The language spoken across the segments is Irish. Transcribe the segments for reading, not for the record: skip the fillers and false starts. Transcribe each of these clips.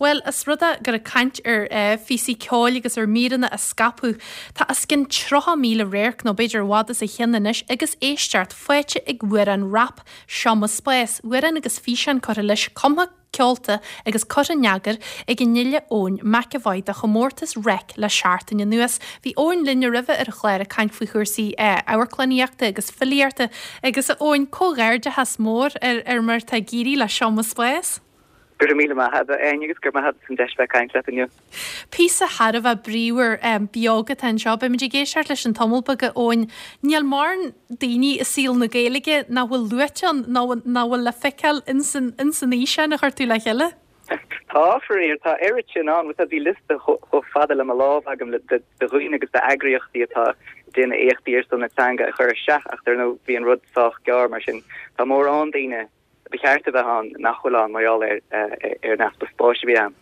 Bhuel, os rud é gur ag caint ar phíosaí ceoil agus ar mhíreanna a scaipeadh, tá os cionn 30,000 radharc, nó b'fhéidir i bhfad os a chionn anois, agus éisteacht faighte ag amhrán rap, Seo Mo Spás, amhrán agus físeán curtha leis, cumtha, ceolta agus curtha in eagar ag an fhile Eoin McEvoy do chomórtas Reic le seachtain anuas. Bhí Eoin linn roimhe ar an chlár ag caint faoi chúrsaí amharclannaíochta agus filíochta agus a Eoin, comhghairdeachas mór ar mar atá ag éirí le Seo Mo Spás. Go raibh míle maith agat, a Áine, agus go raibh maith agat as an deis bheith ag caint leat inniu. Píosa thar a bheith bríomhar beag atá anseo. Beimid ag éisteacht leis an tamall beag, a Eoin. Níl mórán daoine i saol na Gaeilge nach bhfuil luaite ann, nó nach bhfuil le feiceáil ins an fhíseán a chuir tú le chéile. Tá, faraor. Tá oiread sin ann. Bhuel, bhí liosta chomh fada le mo lámh agam de dhaoine agus d'eagraíochtaí atá ag déanamh éachtaí ar son na teanga a chur isteach ach dar ndóigh bhí an rud sách gearr mar sin tá mórán daoine ba cheart a bheith ann nach bhfuil ann mar gheall ar an easpa spáis a bhí ann.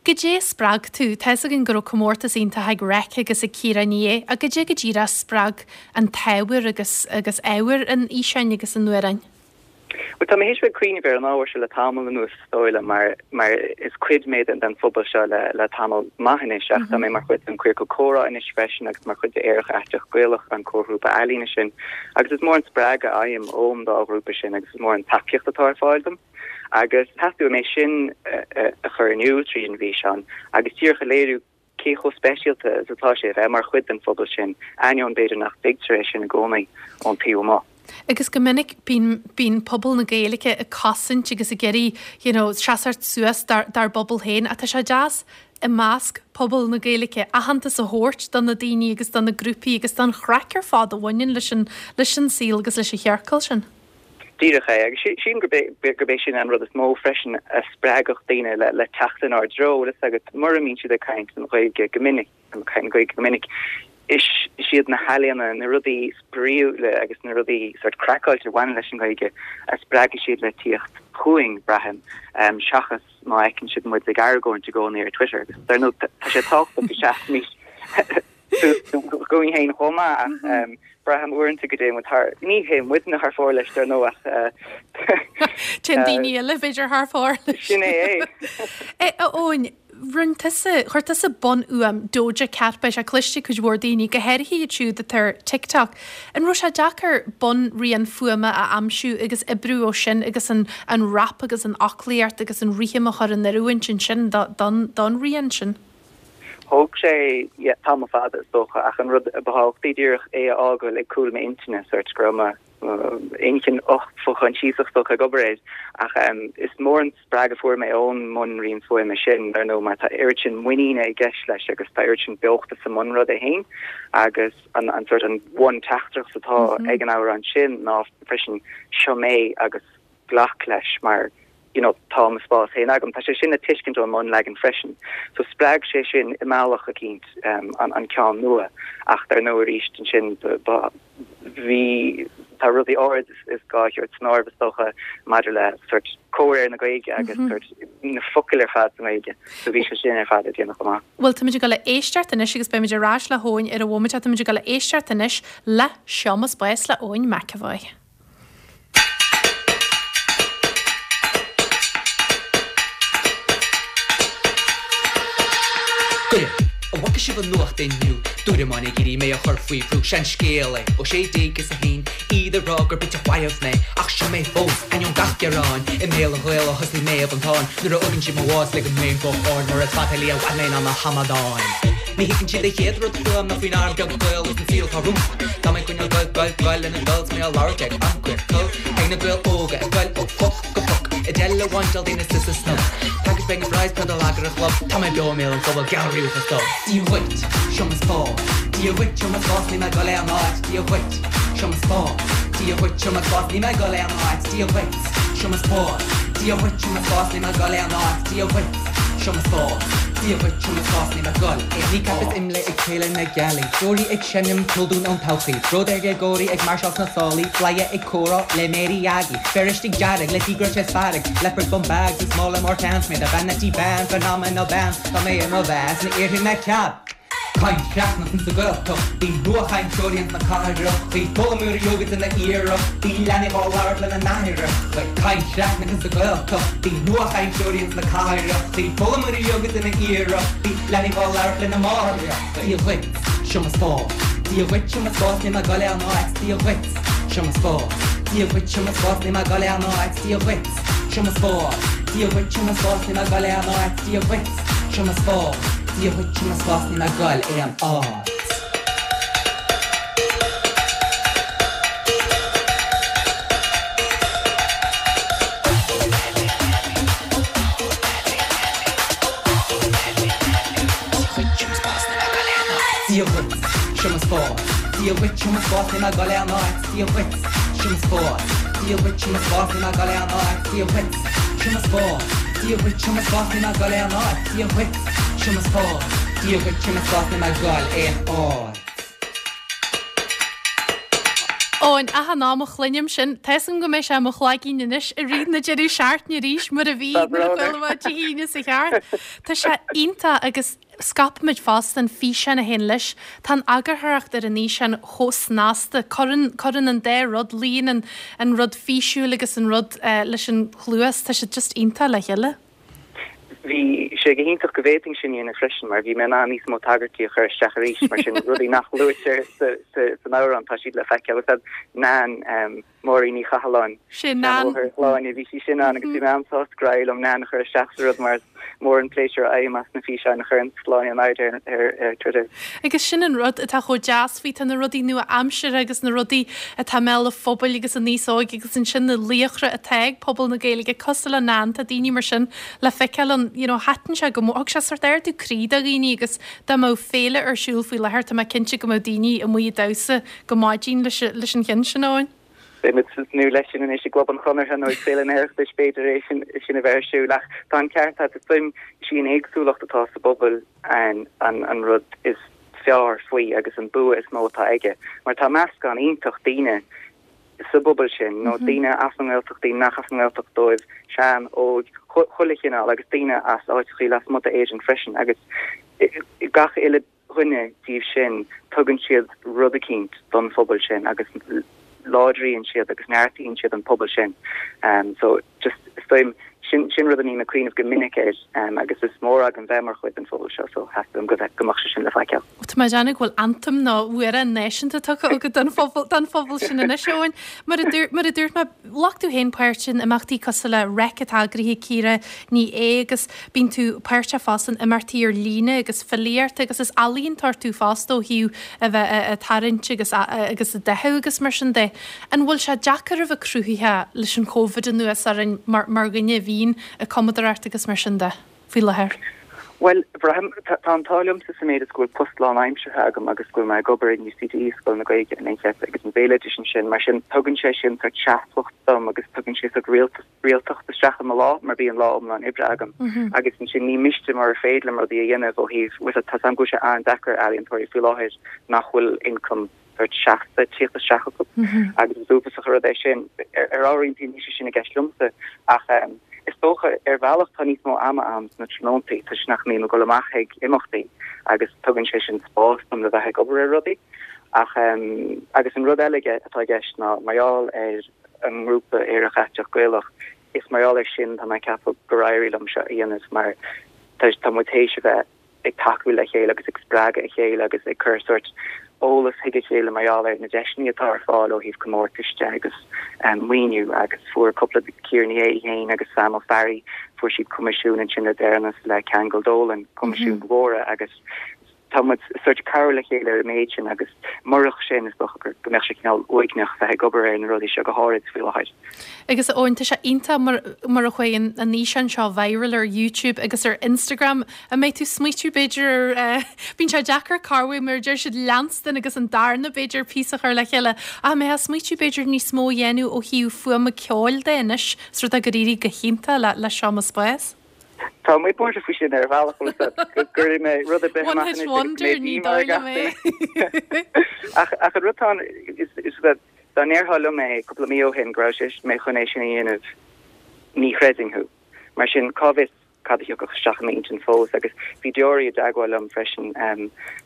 Goidé a spreag tú? Tá fhios againn go raibh comórtas iontach ag Reic agus ag Ciara Ní É, ach goidé go díreach a spreag an t-ábhar agus agus ábhar an fhíseáin agus an amhráin? Bhuel, tá mé théis bheith ag cuimhneamh ar an ábhar seo le tamall anuas, is dóigh liom, mar mar is cuid mé den den phobal seo le le tamall maith anois ach tá mé mar chuid den Queercal Comhrá anois freisin agus mar chuid de Aerach Aiteach Gaelach, an comharghrúpa ealaíne sin. Agus is mór an spreagadh a fhaighim ón dá ghrúpa sin agus is mór an tacaíocht atá ar fáil dom. Agus theastaigh uaim é sin a chur in iúl tríd an bhfíseán agus díreach a léiriú cé chomh speisialta is atá sé a bheith mar chuid den phobal sin, ainneoin b'fhéidir nach dtuigtear é sin i gcónaí ón taobh amuigh. Agus go minic bíonn, bíonn pobal na Gaeilge ag cosaint agus ag iarraidh you know seasamh suas dár, dár bpobal féin ach tá sé deas i measc pobal na Gaeilge aitheantas a thabhairt do na daoine agus do na grúpaí agus don chraic ar fad a bhaineann leis an, leis an saol agus leis an chiorcal sin. Díreach é, agus sílim gurb é, gurb é sin an rud is mó freisin a spreagfadh daoine le, le teacht inár dtreo, bhfuil fhios agat, mura mbíonn siad ag caint an Ghaeilge go minic, ag caint na Gaeilge go minic, is iad na healaíona, na rudaí spraíúla agus na rudaí sort craiceáilte a bhaineann leis an nGaeilge a spreagfaidh siad le tíocht chugainn, braithim, seachas má fheiceann siad muid ag argóint i gcónaí ar Twitter. Agus dar ndóigh, tá sé tábhachtach go seasfaimis dúinn féin chomh maith ach braithim uaireanta go dtéann muid thar, ní théann muidne thar fóir leis dar ndóigh ach. Téann daoine eile b'fhéidir thar fóir leis. Sin é é. A Eoin, rinne tusa, chuir tusa bunfhuaim Doja Cat, beidh sé cloiste ag cuid mhór daoine, go háirithe iad siúd atá ar TikTok. An raibh sé deacair bunrian fuaime a aimsiú agus oibriú ó sin agus an an rap agus an fhoclaíocht agus an rithim a chur in oiriúint ansin don don rian sin? Thóg sé tamall fada is dócha ach an rud a ba thábhachtaí díreach é a fhágáil ag cúl m'intinne, sort go raibh mo inchinn fho-choinsiasach is dócha ag obair air ach is mór an spreagadh a fuair mé ón mbunrian fuaime sin dar ndóigh mar tá oiread sin muiníne i gceist leis agus tá oiread sin beochta sa mbunrud é féin agus an an sort an bhun-teachtaireacht atá ag an amhrán sin ná freisin seo mé agus glac leis mar you know tá mo spás féin agam. Tá sé sin le tuiscint ón mbunleagan freisin. So spreag sé sin i mbealach eicínt an an ceann nua ach dar ndóigh arís ansin ba bhí tá rudaí áirid is gá a thabhairt san áireamh is dócha maidir le sort comhréir na Gaeilge agus sort na focail ar fad sa nGaeilge. So bhí sé sin ar fad le déanamh chomh maith. Bhuel táimid ag dul a éisteacht anois agus beimid ar ais le hEoin ar an bhomaite. Táimid ag dul a éisteacht anois le Seo Mo Spás le Eoin McEvoy. Goidé, an bhfaca sibh an nuacht inniu? Dúramáin ag iarraidh mé a chur faoi bhrú. Seanscéal é ó 1601, iad ag rá gur bitseach mharbh mé. Ach seo mé fós, ainneoin gach gearáin. I mbéal an Ghaeil ó thosaigh Méabh an Táin. Nuair a fhágann siad mo bhás leagann mé an guth ard mar is fatailí i bhfad mé ná na hamadáin. Ní thuigeann siad an chéad rud fúm ná faoin arm beag Gael is an saol atá romham. Tá mé ag coinneáil goil, goil, goil lena dtoil 's mé á labhairt ag an gCiorcal. Ag na Gaeil óga ag goil ó phoc go poc. I dteil a bhaint daoine is is snoc. Agus beidh na fries pioda lag ar an chlub. Tá mé beo i mbéal an phobail geall riamh is dubh. Dia dhuit, seo mo spás. Dia dhuit, seo mo spás, níl mé ag goil aon áit. Dia dhuit, seo mo spás. Dia dhuit, seo mo spás, níl mé ag goil aon áit. Dia dhuit, seo mo spás. Dia dhuit, seo mo spás, níl mé ag goil aon áit. Dia dhuit, seo mo spás. Dia dhuit, seo mo spás, níl mé ag goil aon áit. Kneecap is IMLÉ ag Féile na Gealaí. Deoraí ag seinm ceol dúinn ón todhchaí. Bród ar dhéagóirí ag máirseáil sna sálaí. Bladhaire ag comhrá le Mary Aggie. Feirsteach dearg le díograis is fearg. Leopard bum bags is mála mór ceann sméar. Vanity van, phenomenal band. Tá mé i mo mheas, ní iarrfaidh mé cead. Caint chleamhnach insa Ghaeltacht, bhí nuachainteoirí ins na cathrachaí, foghlaimeoirí óga ag déanamh iarrachtaí, leanaí dhá labhairt lena n-aithreachaí. Caint chleamhnach insa Ghaeltacht, bhí nuachainteoirí ins na cathrachaí, foghlaimeoirí óga ag déanamh iarrachtaí, leanaí dhá labhairt lena máithreachaí. Dia dhuit, seo mo spás. Dia dhuit, seo mo spás, níl mé ag goil aon áit. Dia dhuit, seo mo spás. Dia dhuit, seo mo spás, níl mé ag goil aon áit. Dia dhuit, seo mo spás. Dia dhuit, seo mo spás, níl mé ag goil aon áit. Dia dhuit. Seo mo spás, Dia dhuit, seo mo spás, níl mé ag goil aon áit. Dia dhuit, seo mo spás, Dia dhuit, seo mo spás, níl mé ag goil aon áit. Dia dhuit, seo mo spás, Dia dhuit, seo mo spás, níl mé ag goil aon áit. Dia dhuit. Seo mo spás, Dia dhuit, seo mo spás, níl mé ag goil aon áit, Dia dhuit, seo mo spás, Dia dhuit, seo mo spás, níl mé ag goil aon áit. Eoin, achan am a chluinim sin, tá 'fhios agam go mbeidh sé i mo chloigeann anois i rith na deireadh seachtaine arís mar a bhí nuair a chuala mé Dé hAoine sa cheart. Tá sé iontach agus Scaipimid fosta an físeán a théann leis. Tá an eagarthóireacht ar an fhíseán chomh snasta. Cuireann, cuireann an dá rud, luíonn an, an rud físiúil agus an rud leis an chluas, tá siad just iontach le chéile. Bhí sé go hiontach go bhféadfainn sin a dhéanamh freisin mar bhí mé in ann níos mó tagairtí a chur isteach arís, mar sin rudaí nach luaitear sa, sa, san amhrán tá siad le feiceáil. Is Nan, Máirín Ní Chathalláin. Sin Nan. Ó Shláine, bhí sí sin ann agus bhí mé an-sásta gur éirigh liom Nan a chur isteach sa rud mar is mór an pléisiúr a fhaighim as na físeáin a chuireann Sláine in airde ar Twitter. Agus sin an rud atá chomh deas faoi, tá na rudaí nua-aimseartha agus na rudaí atá i mbéal an phobail agus an aos óig agus ansin na laochra atá ag pobal na Gaeilge cosúil le Nan, tá daoine mar sin le feiceáil ann, you know, thaitin sé go mór, thug sé sórt ardú croí do dhaoine agus dá mbeadh féile ar siúl faoi láthair tá mé cinnte go mbeadh daoine amuigh ag damhsa go maidin leis an cheann sin, Eoin. Beidh muid ag tnúth leis sin anois i gClub an Chonartha nó ag Féile an Oireachtais, b'fhéidir é sin sin a bheith ar siúl. Ach tá an ceart agat, is dóigh liom, is í an éagsúlacht atá sa bpobal an an rud is fearr faoi agus an bua is mó atá aige. Mar tá meascán iontach daoine sa bpobal sin, nó daoine as an nGaeltacht, daoine nach as an nGaeltacht dóibh, sean, óg, chuile chineál agus daoine as áiteachaí lasmuigh d'Éirinn freisin agus gach uile dhuine díobh sin, tugann siad rud eicínt don phobal sin agus láidríonn siad agus neartaíonn siad an pobal sin. So just, is dóigh liom, sin, sin rud a mbím ag cuimhneamh go minic air agus is mór agam bheith mar chuid den phobal seo so theastaigh uaim go bheith, go mbeadh sé sin le feiceáil. Tá mé ag déanamh go bhfuil anthem nó amhrán náisiúnta tugtha agat don phobal, don phobal sin anois, Eoin. Mar a dúirt, mar a dúirt mé, Ghlac tú féin páirt in imeachtaí cosúil le Reic atá eagraithe ag Ciara Ní É agus bíonn tú páirteach fosta in imeachtaí ar líne agus filíocht agus is ealaíontóir tú fosta ó thaobh a bheith ag tarraingt agus agus ag dathú agus mar sin de. An bhfuil sé deacair a bheith cruthaitheach leis an Covid anuas orainn mar mar dhuine a bhíonn ag cumadóireacht agus mar sin de faoi láthair? Bhuel, braithim, tá an t-ádh liomsa sa méid is go bhfuil post lánaimseartha agam agus go bhfuil mé ag obair in UCD, Scoil na Gaeilge in Incheart agus an Bhéaloidis ansin. Mar sin, tugann sé sin sórt seasmhacht dom agus tugann sé sórt rialtacht isteach i mo lá mar bíonn lá iomlán oibre agam. Agus ansin ní miste murar féidir liom rudaí a dhéanamh ó thaobh, bhuel, tá 's agam go bhfuil sé an-deacair ar ealaíontóirí faoi láthair nach bhfuil income sórt seasta ag tíocht isteach acu agus is uafásach an rud é sin. Ar ábhairín níl sé sin i gceist liomsa ach is dócha ar bhealach tá níos mó ama agam sna tráthnóntaí toisc nach mbím ag dul amach ag imeachtaí agus tugann sé sin spás dom le bheith ag obair ar rudaí. Ach agus an rud eile atá i gceist ná mar gheall ar an ngrúpa Aerach Aiteach Gaelach, is mar gheall air sin tá mé ag ceapadh gur éirigh liom seo a dhéanamh mar tá muid théis a bheith ag tacú le chéile agus ag spreagadh a chéile agus ag cur sórt eolas chuig a chéile mar gheall ar na deiseanna atá ar fáil ó thaobh comórtais de agus maoiniú agus fuair cúpla Ciara Ní É í féin agus Sam Ó Fearraigh fuair siad coimisiún ansin le deireanas le Ceangal Dolan, coimisiúin mhóra agus tá muid sórt ag cabhrú le chéile ar an méid sin agus murach sin is dócha go mbeadh sé cineál uaigneach bheith ag obair ar na rudaí seo go háirid faoi láthair. Agus a Eoin, tá sé iontach mar mar a chuaigh an an fhíseán seo viral ar YouTube agus ar Instagram. An mbeidh tú ag smaoitiú b'fhéidir ar eh, bíonn sé deacair corruair mar a deir siad leanstan agus an darna b'fhéidir píosa a chur le chéile ach an mbeifeá ag smaoitiú b'fhéidir níos mó a dhéanamh ó thaobh fuaime ceoil de anois, os rud é gur éirigh go hiontach le le Seo Mo Spás? Tá mé buartha faoi sin ar bhealach bhfuil a fhios agat, go gcuirfidh mé rud ar bith amach anois agus go mbeidh díomá ar gach duine. Ach ach an rud atá ann is is that dá ndéarfá liom é cúpla mí ó shin go raibh sé mé chun é sin a dhéanamh ní chreidfinn thú. Mar sin cá bhfios? cad a thiocfadh isteach i m'intinn fós agus bhí Deoraí i dteagmháil liom freisin,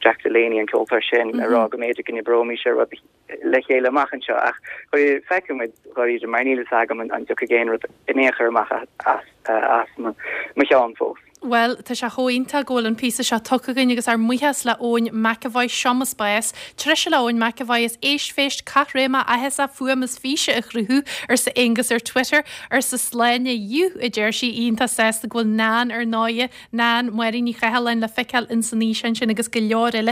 Jack Delaney, an ceoltóir sin, le rá go mb'fhéidir go n-oibreoimis ar rud le chéile amach anseo ach feicfidh muid dháiríre mar níl fhios agam an dtiocfaidh aon rud in aon chor amach as mo cheann fós. Bhuel, tá sé chomh iontach go bhfuil an píosa seo tugtha againn agus ár mbuíochas le Eoin McEvoy, Seo Mo Spás, Treise le Eoin McEvoy is éistphéist caithréimeach áthasach fuaim is físe a chruthú, arsa Aonghus ar Twitter, arsa Sláine, Yú, a deir sí, iontach sásta go bhfuil Nan ar ndóighe, Nan, Máirín Ní Chathalláin le feiceáil ins an fhíseán sin agus go leor eile.